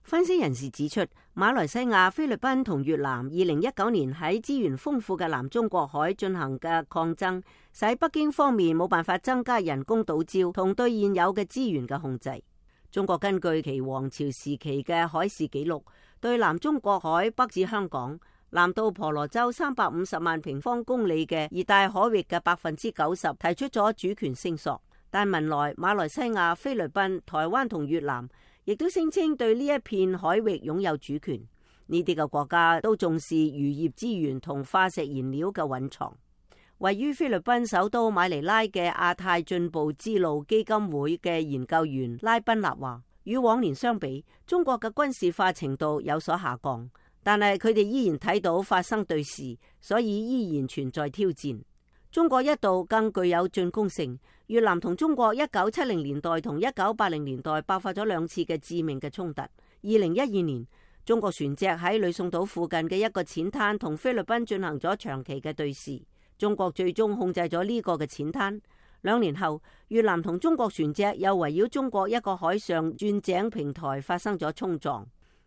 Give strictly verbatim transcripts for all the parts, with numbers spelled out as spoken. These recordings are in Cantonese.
分析人士指出，馬來西亞、菲律賓同越南二零一九年喺資源豐富嘅南中國海進行嘅抗爭，使北京方面冇辦法增加人工島礁同對現有嘅資源嘅控制。中國根據其王朝時期嘅海事記錄，對南中國海北至香港、南到婆羅洲三百五十萬平方公里嘅熱帶海域嘅百分之九十提出咗主權聲索，但文萊、馬來西亞、菲律賓、台灣同越南亦都聲稱對呢一片海域擁有主權。呢啲嘅國家都重視漁業資源同化石燃料嘅蘊藏。位於菲律賓首都馬尼拉嘅亞太進步之路基金會嘅研究員拉賓納話，與往年相比，中國嘅軍事化程度有所下降，但係佢哋依然睇到發生對峙，所以依然存在挑戰。中國一度更具有進攻性。越南同中國一九七零年代同一九八零年代爆發咗兩次嘅致命嘅衝突。二零一二年，中國船隻喺呂宋島附近嘅一個淺灘同菲律賓進行咗長期嘅對峙，中國最終控制咗呢個嘅淺灘。兩年後，越南同中國船隻又圍繞中國一個海上鑽井平台發生咗衝撞。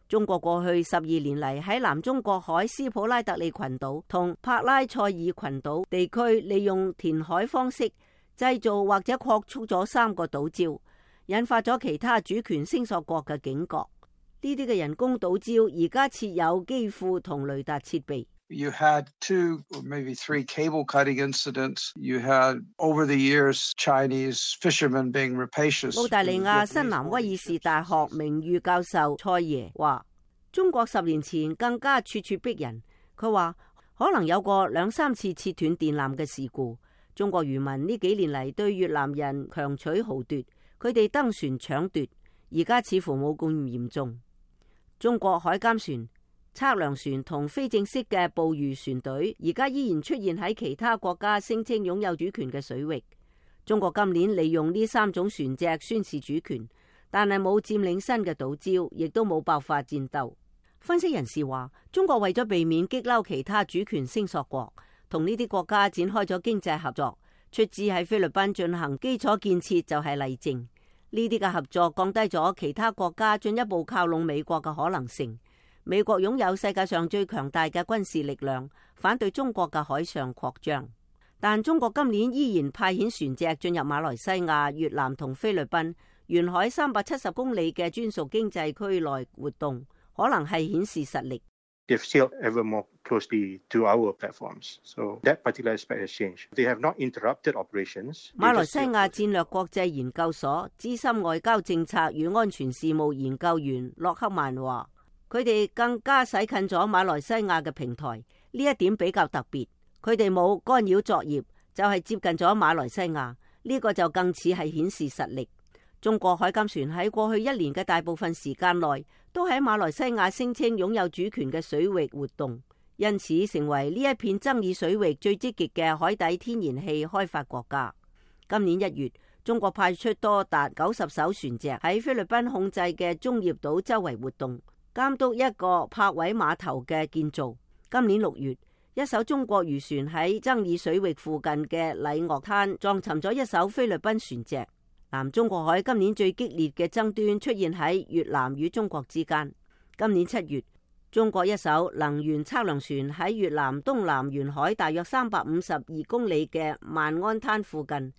中國過去十二年嚟喺南中國海斯普拉特利群島同帕拉塞爾群島地區，利用填海方式製造或者擴充咗三個島礁，引發咗其他主權聲索國嘅警覺。呢啲嘅人工島礁而家設有機庫同雷達設備。You had two or maybe three cable cutting incidents. You had over the years Chinese fishermen being rapacious. 澳大利亞新南威爾士大學名譽教授蔡爺話，中國十年前更加處處逼人。佢話可能有過兩三次切斷電纜嘅事故。中國漁民呢幾年嚟對越南人強取豪奪，佢哋登船搶奪，而家似乎冇咁嚴重。中國海監船、測量船同非正式嘅捕魚船隊，而家依然出現喺其他國家聲稱擁有主權嘅水域。中國今年利用呢三種船隻宣示主權，但係冇佔領新嘅島礁，亦都冇爆發戰鬥。分析人士話，中國為咗避免激嬲其他主權聲索國，同呢啲國家展開咗經濟合作，出資喺菲律賓進行基礎建設就係例證。呢啲嘅合作降低咗其他國家進一步靠攏美國嘅可能性。美國擁有世界上最強大嘅軍事力量，反對中國嘅海上擴張。但中國今年依然派遣船隻進入馬來西亞、越南同菲律賓沿海三百七十公里嘅專屬經濟區內活動，可能係顯示實力。They've sailed ever more closely to our platforms, so that particular aspect has changed. They have not interrupted operations. 馬來西亞戰略國際研究所資深外交政策與安全事務研究員洛克曼話，佢哋更加駛近咗馬來西亞嘅平台，呢一點比較特別。佢哋冇干擾作業，就係接近咗馬來西亞，呢個就更似係顯示實力。中國海監船喺過去一年嘅大部分時間內，都喺馬來西亞聲稱擁有主權嘅水域活動，因此成為呢一片爭議水域最積極嘅海底天然氣開發國家。今年一月，中國派出多達九十艘船隻喺菲律賓控制嘅中業島周圍活動，監督一個泊位碼頭嘅建造。今年六月，一艘中國漁船喺爭議水域附近嘅禮岳灘撞沉咗一艘菲律賓船隻。南中國海今年最激烈嘅爭端出現喺越南與中國之間。今年七月，中國一艘能源測量船喺越南東南沿海大約三百五十二公里嘅萬安灘附近，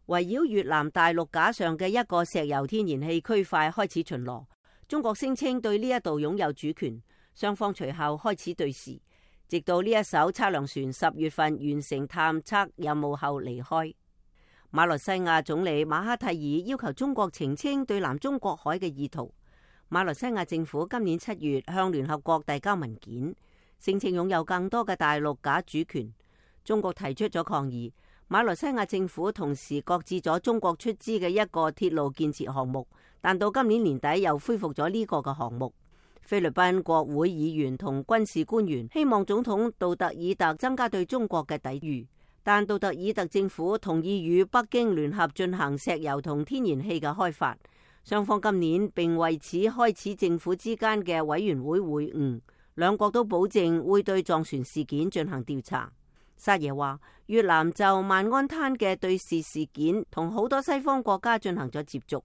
圍繞越南大陸架上嘅一個石油天然氣區塊開始巡邏。中國聲稱對呢一度擁有主權，雙方隨後開始對峙，直到呢一艘測量船十月份完成探測任務後離開。馬來西亞總理馬哈蒂爾要求中國澄清對南中國海嘅意圖。馬來西亞政府今年七月向聯合國遞交文件，聲稱擁有更多嘅大陸假主權。中國提出咗抗議。馬來西亞政府同時擱置咗中國出資嘅一個鐵路建設項目，但到今年年底又恢復咗呢個嘅項目。菲律賓國會議員同軍事官員希望總統杜特爾特增加對中國嘅抵禦。但杜特爾特政府同意與北京聯合進行石油同天然氣嘅開發，雙方今年並為此開始政府之間嘅委員會會晤，兩國都保證會對撞船事件進行調查。沙爺話，越南就萬安灘嘅對峙事件同好多西方國家進行咗接觸。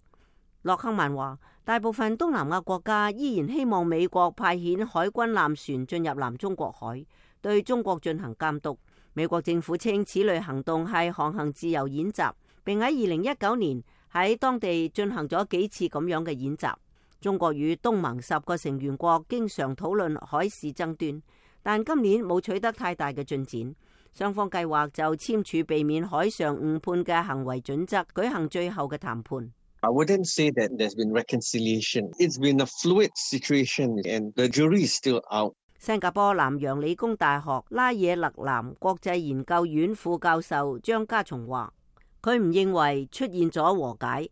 洛克曼話，大部分東南亞國家依然希望美國派遣海軍艦船進入南中國海，對中國進行監督。美國政府稱此類行動係航行自由演習，並喺二零一九年喺當地進行咗幾次咁樣嘅演習。中國與東盟十個成員國經常討論海事爭端，但今年冇取得太大嘅進展。雙方計劃就簽署避免海上誤判嘅行為準則舉行最後嘅談判。I wouldn't say that there's been reconciliation. It's been a fluid situation and the jury is still out. 新加坡南洋理工大學拉惹勒南國際研究院副教授張家松話，佢唔認為出現咗和解，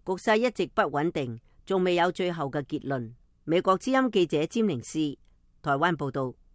局勢一直不穩定，仲未有最後嘅結論。美國之音記者詹寧斯台灣報道。